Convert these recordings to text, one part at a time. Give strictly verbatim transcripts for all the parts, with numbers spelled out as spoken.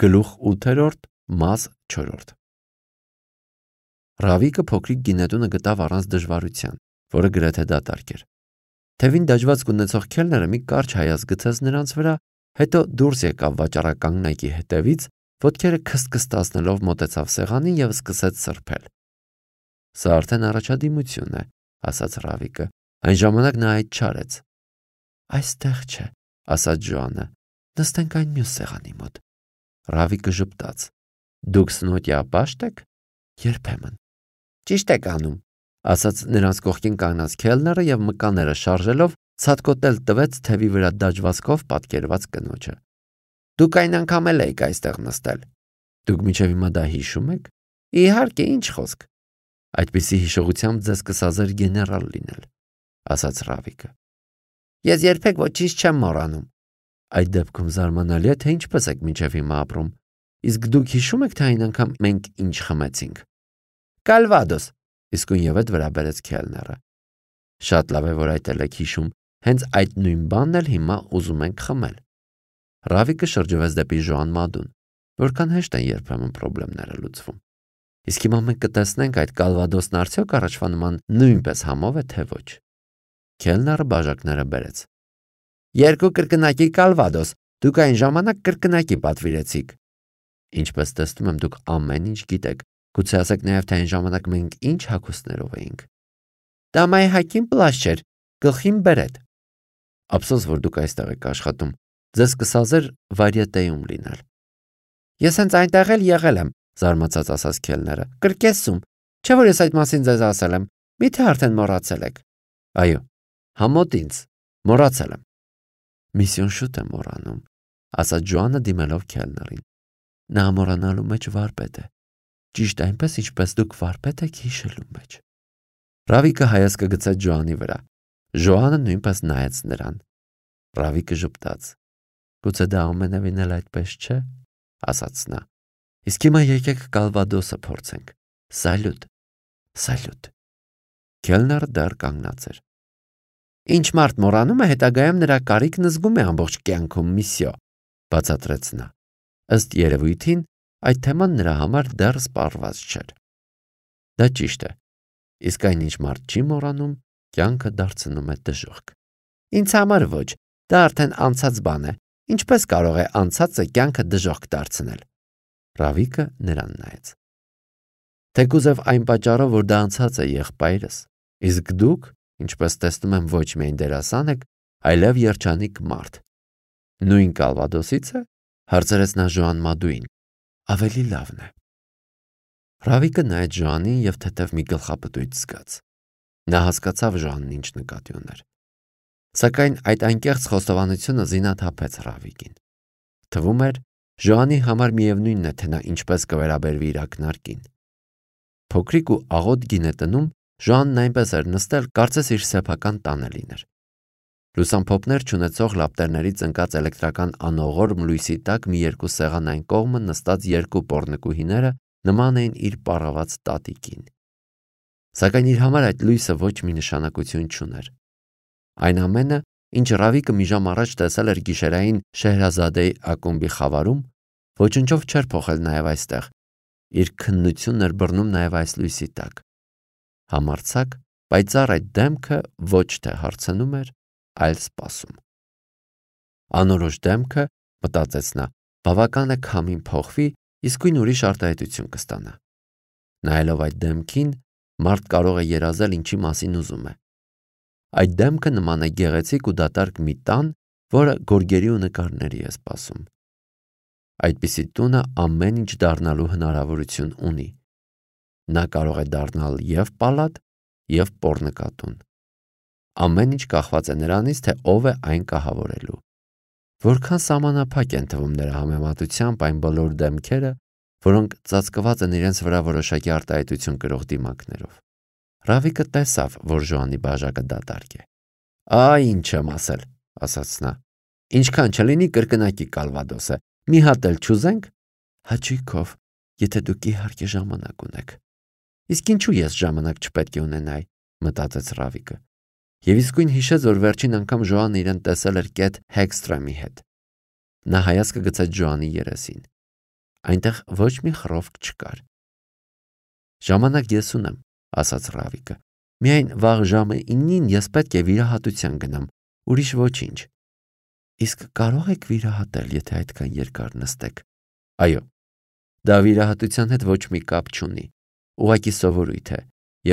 Գլուխ ութերորդ մաս չորրորդ Ռավիկը փոքրիկ գինետունը գտավ առանց դժվարության, որը գրեթե դատարկ էր։ Թևին դաջվածք ունեցող քելները մի կարճ հայացք գցեց նրանց վրա, հետո դուրս եկավ վաճառականգնակի հետևից, ոտքերը քստքստացնելով մոտեցավ սեղանին և սկսեց սրբել։ Սա արդեն առաջադիմություն է, ասաց Ռավիկը, այն ժամանակ նա այդ չարեց։ Այստեղ չէ, ասաց Ժոանը, նստենք այն մյուս սեղանի մոտ։ Ռավիկը ժպտաց. Դուք սնոտյա պաշտ եք։ Երբեմն։ Ճիշտ եք անում, ասաց նրանց կողքին կանգնած քելները և մկանները շարժելով ցատկոտել տվեց թևի վրա դաջվածքով պատկերված կնոջը։ Դուք այն անգամ էլ եք այստեղ նստել։ Դուք մինչև հիմա դա հիշում եք։ Իհարկե, ինչ խոսք։ Այդպիսի հիշողությամբ ձեզ կսազեր գեներալ լինել, ասաց Ռավիկը։ Ես երբեք ոչինչ չեմ մոռանում։ Այդ դեպքում զարմանալի է, թե ինչպես եք մինչև հիմա ապրում։ Իսկ դուք հիշում եք, թե այն անգամ մենք ինչ խմեցինք։ Կալվադոս, իսկույն ևեթ վրա բերեց քելները։ Շատ լավ է, որ այդ էլ եք հիշում, հենց այդ նույն բանն էլ հիմա ուզում ենք խմել։ Ռավիկը շրջվեց դեպի Ժոան Մադուն, որքան հեշտ են երբեմն խնդիրները լուծվում։ Իսկ հիմա մենք կտեսնենք այդ կալվադոսն արդյոք առաջվա նման նույնպես համով է, թե ոչ։ Քելները բաժակները բերեց։ Երկու կրկնակի կալվադոս, դուք այն ժամանակ կրկնակի պատվիրեցիք։ Ինչպես տեսնում եմ, դուք ամեն ինչ գիտեք, գուցե ասեք նաև, թե այն ժամանակ մենք ինչ հագուստներով էինք։ Դա մայհակին պլաշ չէր, գլխին բերետ։ Ափսոս, որ դուք այստեղ եք աշխատում, ձեզ կսազեր վարյետեում լինել։ Ես հենց այնտեղ էլ եղել եմ, զարմացած ասաց քելները։ Կրկեսում, չէ՞ որ ես այդ մասին ձեզ ասել եմ, միթե արդեն մոռացել եք։ Այո, համոտ ինձ, մոռացել եմ։ Միսիոն շուտ է մոռանում, ասաց Ժոանը դիմելով քելներին։ Նա մոռանալու մեջ վարպետ է։ Ճիշտ այնպես, ինչպես դուք վարպետ եք հիշելու մեջ։ Ռավիկը հայացքը գցեց Ժոանի վրա։ Ժոանը նույնպես նայեց նրան։ Ռավիկը ժպտաց։ Գուցե դա ամենևին էլ այդպես չէ, ասաց նա։ Իսկ հիմա եկեք կալվադոսը փորձենք։ Սալյուտ, սալյուտ։ Քելները դեռ կանգնած էր։ Ինչ մարդ մոռանում է, հետագայում նրա կարիքն զգում է ամբողջ կյանքում, միսիո, բացատրեց նա։ Ըստ երևույթին, այդ թեման նրա համար դեռ սպառված չէր։ Դա ճիշտ է։ Իսկ այն ինչ մարդ չի մոռանում, կյանքը դարձնում է դժոխք։ Ինձ համար ոչ, դա արդեն անցած բան է։ Ինչպես կարող է անցածը կյանքը դժոխք դարձնել։ Ռավիկը նրան նայեց։ Թեկուզև այն պատճառով, որ դա անցած է եղբայրս, իսկ դուք, ինչպես տեսնում եմ, ոչ միայն դերասան եք, այլև երջանիկ մարդ։ Նույն կալվադոսից է, հարցրեց նա Ժոան Մադուին։ Ավելի լավն է։ Ռավիկը նայեց Ժոանին և թեթև մի գլխապտույտ զգաց։ Նա հասկացավ Ժոանն ինչ նկատի ուներ։ Սակայն այդ անկեղծ խոստովանությունը զինաթափեց Ռավիկին։ Թվում էր, Ժոանի համար միևնույնն է, թե նա ինչպես կվերաբերվի իր ակնարկին։ Փոքրիկ ու աղոտ գինետնում Ժոանն այնպես էր նստել, կարծես իր սեփական տանը լիներ։ Լուսամփոփներ չունեցող լապտերներից ընկած էլեկտրական անողորմ լույսի տակ մի երկու սեղան այն կողմը նստած երկու պոռնկուհիները նման էին իր պառաված տատիկին։ Սակայն իր համար այդ լույսը ոչ մի նշանակություն չուներ։ Այն ամենը, ինչ Ռավիկը մի ժամ առաջ տեսել էր գիշերային Շեհրազադեի ակումբի խավարում, ոչնչով չէր փոխել նաև այստեղ։ Իր քննությունն էր բռնում նաև այս լույսի տակ։ Համարձակ, պայծառ այդ դեմքը ոչ թե հարցնում էր, այլ սպասում։ Անորոշ դեմքը, մտածեց նա, բավական է քամին փոխվի, իսկույն ուրիշ արտահայտություն կստանա։ Նայելով այդ դեմքին, մարդ կարող է երազել ինչի մասին ուզում է։ Այդ դեմքը նման է գեղեցիկ ու դատարկ մի տան, որը գորգերի ու նկարների է սպասում։ Այդպիսի տունը ամեն ինչ դառնալու հնարավորություն ունի։ Նա կարող է դառնալ և պալատ, և պոռնկատուն։ Ամեն ինչ կախված է նրանից, թե ով է այն կահավորելու։ Որքան սահմանափակ են թվում նրա համեմատությամբ այն բոլոր դեմքերը, որոնք ծածկված են իրենց վրա որոշակի արտահայտություն կրող դիմակներով։ Ռավիկը տեսավ, որ Ժոանի բաժակը դատարկ է։ Այ ինչ եմ ասել, ասաց նա։ Ինչքան չլինի կրկնակի կալվադոս է, մի հատ էլ չուզենք։ Հաճույքով, եթե դուք իհարկե ժամանակ ունեք։ Իսկ ինչու ես ժամանակ չպետք է ունենայի, մտածեց Ռավիկը։ Եվ իսկույն հիշեց, որ վերջին անգամ Ժոանը իրեն տեսել էր կետ Հեգստրեմի հետ։ Նա հայացքը գցեց Ժոանի երեսին։ Այնտեղ ոչ մի խռովք չկար։ Ժամանակ ես ունեմ, ասաց Ռավիկը։ Միայն վաղ ժամը իննին ես պետք է վիրահատության գնամ, ուրիշ ոչինչ։ Իսկ կարող եք վիրահատել, եթե այդքան երկար նստեք։ Այո, դա վիրահատության հետ ոչ մի կապ չունի, ուղղակի սովորույթ է,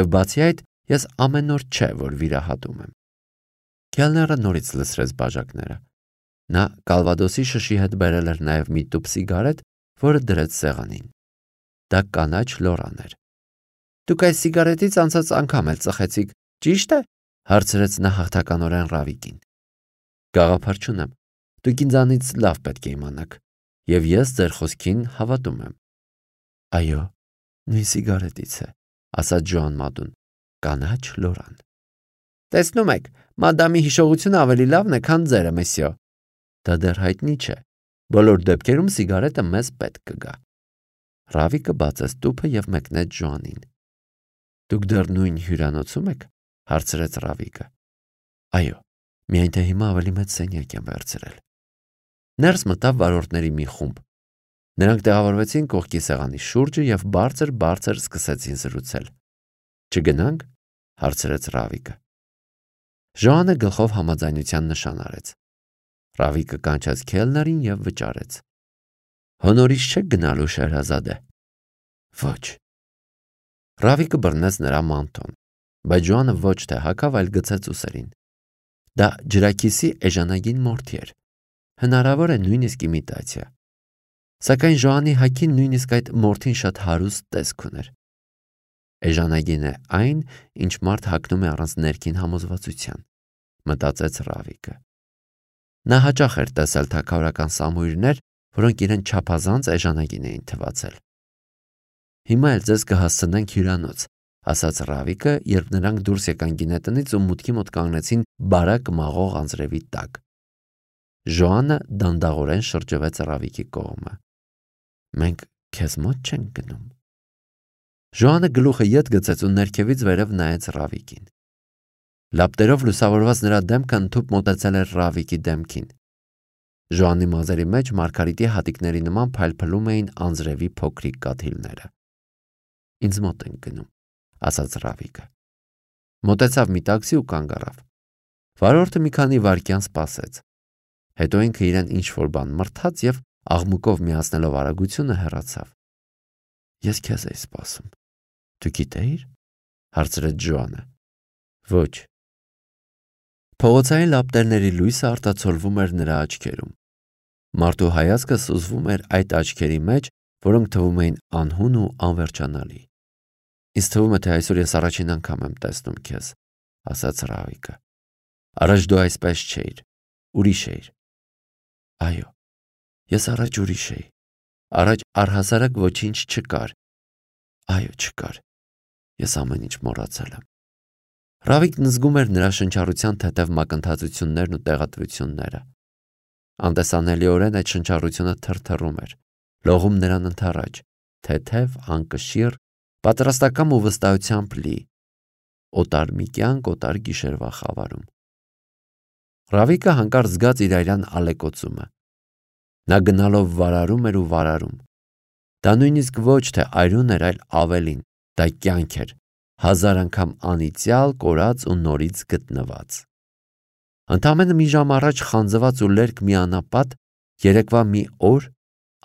եւ բացի այդ ես ամեն օր չէ, որ վիրահատում եմ։ Քելները նորից լսրեց բաժակները։ Նա կալվադոսի շշի հետ բերել էր նաև մի տուփ սիգարետ, որը դրեց սեղանին։ Դա կանաչ լորան էր։ Դուք այս սիգարետից անցած անգամ էլ ծխեցիք, ճիշտ է, հարցրեց նա հաղթականորեն Ռավիկին։ Գաղափար չունեմ, դուք ինձանից լավ պետք է իմանաք, եւ ես ձեր խոսքին հավատում եմ։ Այո, նույն սիգարետից է, ասաց Ջոան Մադուն, կանաչ լորան։ Տեսնում եք, մադամի հիշողությունը ավելի լավն է, քան ձերը, մեսյո։ Դա դեռ հայտնի չէ։ Բոլոր դեպքերում սիգարետը մեզ պետք կգա։ Ռավիկը բացեց տուփը եւ մեկնեց Ջոանին։ Դուք դեռ նույն հյուրանոցում եք, հարցրեց Ռավիկը։ Այո, միայն թե հիմա ավելի մեծ սենյակ եմ վերցրել։ Ներս մտավ վարորդների մի խումբ։ Նրանք տեղավորվեցին կողքի սեղանի շուրջը եւ բարձր-բարձր սկսեցին զրուցել։ Չգնանք, հարցրեց Ռավիկը։ Ժոանը գլխով համաձայնության նշան արեց։ Ռավիկը կանչեց քելներին եւ վճարեց։ Հոնորից չեք գնալու, Շեհրազադե։ Ոչ։ Ռավիկը բռնեց նրա մանթոն, բայց Ջոանը ոչ թե հագավ, այլ գցեց ուսերին։ Դա ջրակիսի էժանագին մորթի էր։ Հնարավոր է նույնիսկ իմիտացիա։ Սակայն Ժոանի հագին նույնիսկ այդ մորթին շատ հարուստ տեսք ուներ։ Էժանագին է այն, ինչ մարդ հագնում է առանց ներքին համոզվածության, մտածեց Ռավիկը։ Նա հաճախ էր տեսել թագավորական սամույրներ, որոնք իրեն չափազանց էժանագին էին թվացել։ Հիմա էլ ձեզ կհասցնենք հյուրանոց, ասաց Ռավիկը, երբ նրանք դուրս եկան գինետնից ու մուտքի մոտ կանգնեցին բարակ մաղող անձրևի տակ։ Ժոանը դանդաղորեն շրջվեց Ռավիկի կողմը։ Մենք քեզ մոտ չենք գնում։ Ժոանը գլուխը ետ գցեց ու ներքևից վերև նայեց Ռավիկին։ Լապտերով լուսավորված նրա դեմքը ընդհուպ մոտեցել էր Ռավիկի դեմքին։ Ժոանի մազերի մեջ մարգարիտի հատիկների նման փայլփլում էին անձրևի փոքրիկ կաթիլները։ Ինձ մոտ են գնում, ասաց Ռավիկը։ Մոտեցավ մի տաքսի ու կանգ առավ։ Վարորդը մի քանի վայրկյան սպասեց։ Հետո ինքը իրեն ինչ-որ բան մրթաց եւ աղմուկով միացնելով արագությունը հեռացավ։ Ես քեզ էի սպասում։ Դու գիտեիր, հարցրեց Ջոանը։ Ոչ։ Փողոցային լապտերների լույսը արտացոլվում էր նրա աչքերում։ Մարդու հայացքը սուզվում էր այդ աչքերի մեջ, որոնք թվում էին անհուն ու անվերջանալի։ Ինձ թվում է, թե այսօր ես առաջին անգամ եմ տեսնում քեզ, ասաց Ռավիկը։ Առաջ դու այսպես չէիր, ուրիշ էիր։ Այո, ես առաջ ուրիշ էի։ Առաջ առհասարակ ոչինչ չկար։ Այո, չկար։ Ես ամեն ինչ մոռացել եմ։ Ռավիկն զգում էր նրա շնչառության թեթև մակընթացություններն ու տեղատվությունները։ Անտեսանելիորեն այդ շնչառությունը թրթռում էր, լողում նրան ընդառաջ, թեթև, անկշիռ, պատրաստակամ ու վստահությամբ լի, օտար մի կյանք, օտար գիշերվա խավարում։ Ռավիկը հանկարծ զգաց իր այրան ալեկոծումը։ Նա գնալով վարարում էր ու վարարում։ Դա նույնիսկ ոչ թե այրուն էր, այլ ավելին, դա կյանք էր, հազար անգամ անիծյալ, կորած ու նորից գտնված։ Ընդամենը մի ժամ առաջ խանձված ու լերկ մի անապատ, երեկվա մի օր,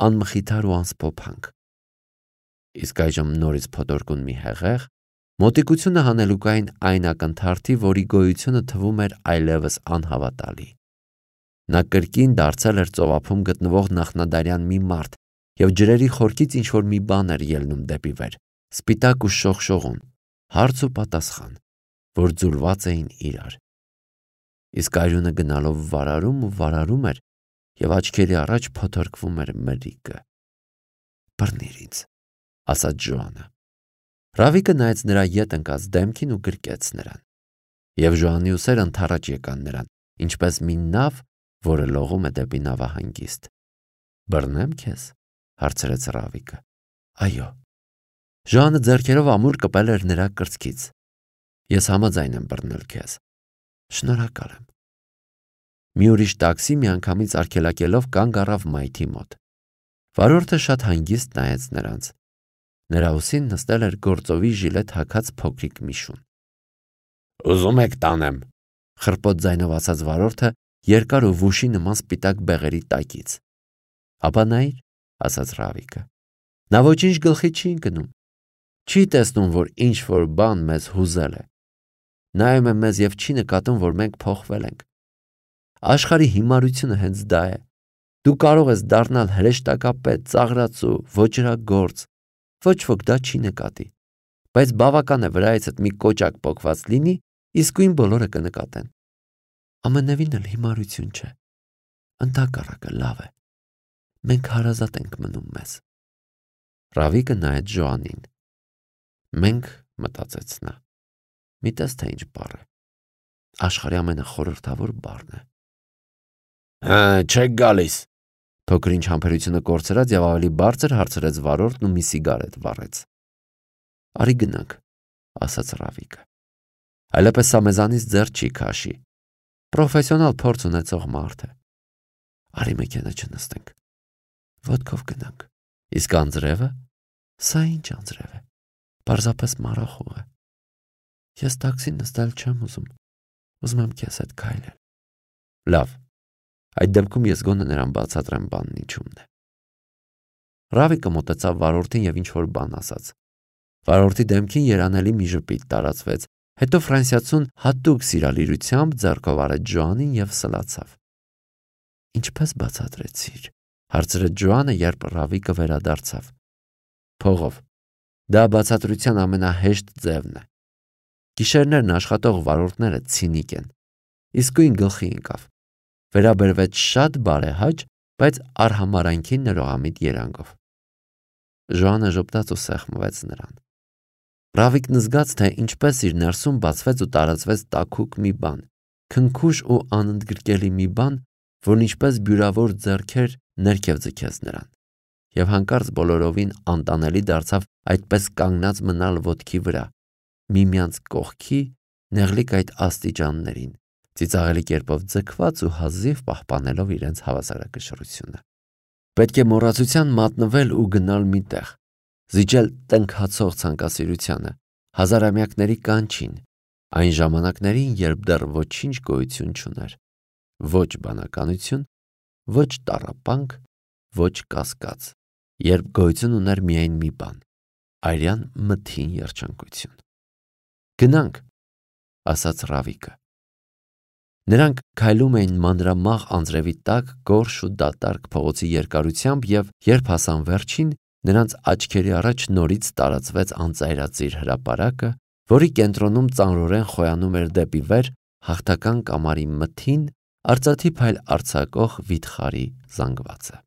անմխիթար ու անսփոփանք։ Իսկ այժմ նորից փոթորկուն մի հեղեղ, մոտիկությունը հանելուկային այն ակնթարթի, որի գոյությունը թվում էր այլևս անհավատալի։ Նա կրկին դարձել էր ծովափում գտնվող նախնադարյան մի մարդ եւ ջրերի խորքից ինչ-որ մի բան էր ելնում դեպի վեր, սպիտակ ու շողշողուն, հարց ու պատասխան, որ ձուլված էին իրար։ Իսկ այրունը գնալով վարարում ու վարարում էր եւ աչքերի առաջ փոթորկվում էր մրրիկը։ Բռնիր ինձ, ասաց Ջոանը։ Ռավիկը նայեց նրա ետ ընկած դեմքին ու գրկեց նրան։ Եվ Ժոանի ուսերը ընդառաջ եկան նրան, ինչպես մի նավ, որը լողում է դեպի նավահանգիստ։ Բռնեմ քեզ, հարցրեց Ռավիկը։ Այո։ Ժոանը ձեռքերով ամուր կպել էր նրա կրծքից։ Ես համաձայն եմ բռնել քեզ։ Շնորհակալ եմ։ Մի ուրիշ տաքսի միանգամից արգելակելով կանգ առավ մայթի մոտ։ Վարորդը շատ հանգիստ նայեց նրանց։ Նրա ուսին նստել էր գործովի ժիլետ հագած փոքրիկ միշուն։ Ուզում եք տանեմ, խռպոտ ձայնով ասաց վարորդը երկար ու վուշի նման սպիտակ բեղերի տակից։ Ապա նայիր, ասաց Ռավիկը։ Նա ոչինչ գլխի չի ընկնում։ Չի տեսնում, որ ինչ որ բան մեզ հուզել է։ Նայում է մեզ եւ չի նկատում, որ մենք փոխվել ենք։ Աշխարհի հիմարությունը հենց դա է։ Դու կարող ես դառնալ հրեշտակապետ, ծաղրածու, ոճրագործ, ոչ ոք դա չի նկատի, բայց բավական է վրայիցդ մի կոճակ պոկված լինի, իսկույն բոլորը կնկատեն։ Ամենևին էլ հիմարություն չէ, ընդհակառակը լավ է, մենք հարազատ ենք մնում մեզ։ Ռավիկը նայեց Ժոանին։ Մենք, մտածեց նա, մի տես թե ինչ բառ է, աշխարհի ամենախորհրդավոր բառն է։ Հա, չեք գալիս։ Փոքրինչ համբերությունը կորցրած եւ ավելի բարձր հարցրեց վարորդն ու մի սիգարետ վառեց։ Արի գնանք, ասաց Ռավիկը։ Այլապես սա մեզանից ձեռ չի քաշի։ Պրոֆեսիոնալ փորձ ունեցող մարդ է։ Արի մեքենա չնստենք։ Ոտքով գնանք։ Իսկ անձրևը, սա ինչ անձրև է։ Պարզապես մառախուղ է։ Ես տաքսի նստել չեմ ուզում։ Ուզում եմ քեզ հետ քայլել։ Լավ։ Այդ դեպքում ես գոնե նրան բացատրեմ բանն ինչումն է։ Ռավիկը մոտեցավ վարորդին եւ ինչ-որ բան ասաց։ Վարորդի դեմքին երանելի մի ժպիտ տարածվեց, հետո ֆրանսիացուն հատուկ սիրալիրությամբ ձեռքով արեց Ժոանին եւ սլացավ։ Ինչպես բացատրեցիր, հարցրեց Ժոանը, երբ Ռավիկը վերադարձավ։ Փողով։ Դա բացատրության ամենահեշտ ձևն է։ Գիշերներն աշխատող վարորդները ցինիկ են։ Իսկույն գլխի ընկավ։ Վերաբերվեց շատ բարեհաճ, բայց արհամարանքի ներողամիտ երանգով։ Ժոանը ժպտաց ու սեղմվեց նրան։ Ռավիկն զգաց, թե ինչպես իր ներսում բացվեց ու տարածվեց տաքուկ մի բան, քնքուշ ու անընդգրկելի մի բան, որն ինչպես բյուրավոր ձեռքեր ներքև ձգեց նրան, եւ հանկարծ բոլորովին անտանելի դարձավ այդպես կանգնած մնալ ոտքի վրա, միմյանց կողքի, նեղլիկ այդ աստիճաններին, ծիծաղելի կերպով ձգված ու հազիվ պահպանելով իրենց հավասարակշռությունը։ Պետք է մոռացության մատնվել ու գնալ մի տեղ, զիջել տնքացող ցանկասիրությանը, հազարամյակների կանչին, այն ժամանակներին, երբ դեռ ոչինչ գոյություն չուներ, ոչ բանականություն, ոչ տառապանք, ոչ կասկած, երբ գոյություն ուներ միայն մի բան, արյան մթին երջանկություն։ Գնանք, ասաց Ռավիկը։ Նրանք քայլում էին մանրամաղ անձրևի տակ գորշ ու դատարկ փողոցի երկարությամբ եւ երբ հասան վերջին, նրանց աչքերի առաջ նորից տարածվեց անծայրածիր հրապարակը, որի կենտրոնում ծանրորեն խոյանում էր դեպի վեր հաղթական կամարի մթին, արծաթի փայլ արձակող վիթխարի զանգվածը։